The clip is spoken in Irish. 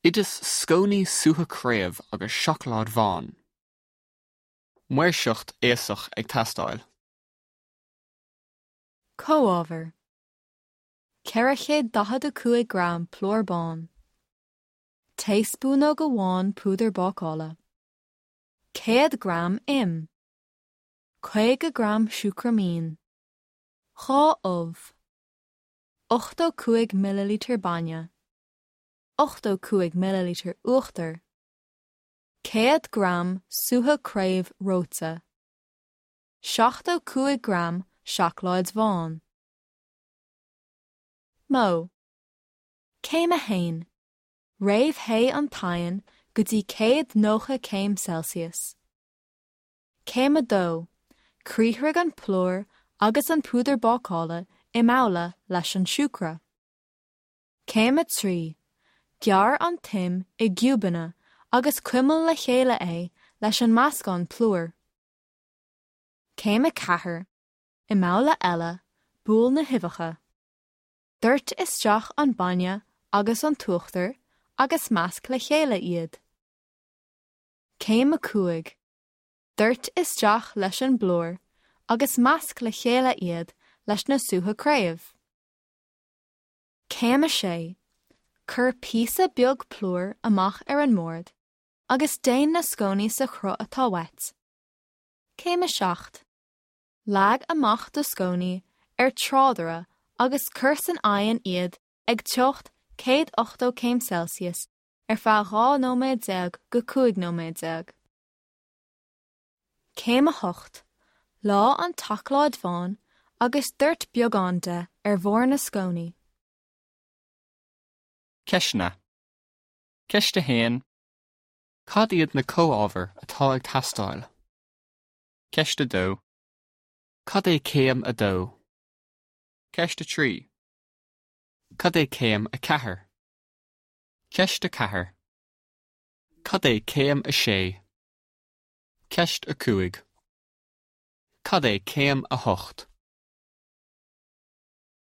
Oideas scónaí sútha craobh agus seacláid bhán. Maoirseacht aosach ag teastáil. Comhábhair, 445 gram plúr bán, Taespúnóg amháin púdar bácála, 100 gram im, 50 gram siúcra mín, 2 ubh, 85 millilítear bainne, 85 millilítear uachtar, 100 gram sútha craobh reoite, 75 gram seacláid bhán. Modh. Céim 1, Réamhthéigh an t-oigheann go dtí 190 céim Celsius. Céim 2, Criathraigh an plúr agus an púdar bácála i mbabhla leis an siúcra. Céim 3, Gearr an t-im i gciúbanna agus cuimil le chéile é leis an meascán plúir. Céim 4, I mbabhla eile, buail na huibheacha. Doirt isteach an bainne agus an t-uachtar agus measc le chéile iad. Céim 5, Doirt isteach leis an bplúr agus measc le chéile iad leis na sútha craobh. Céim 6, Cuir píosa beag plúir amach ar an mbord agus déan na scónaí sa chruth atá uait. Céim 7, Leag amach do scónaí ar tráidire agus cuir san oigheann iad ag teocht 180 céim Celsius ar feadh 12 nóiméad go 15 nóiméad. Céim 8, Leá an tseacláid bhán agus doirt beagán de ar bharr na scónaí. Ceisteanna. Ceist 1. Cad iad na comhábhair atá ag teastáil? Ceist 2. Cad é céim 2? Ceist 3. Cad é céim 4? Ceist 4. Cad é céim 6? Ceist 5. Cad é céim 8?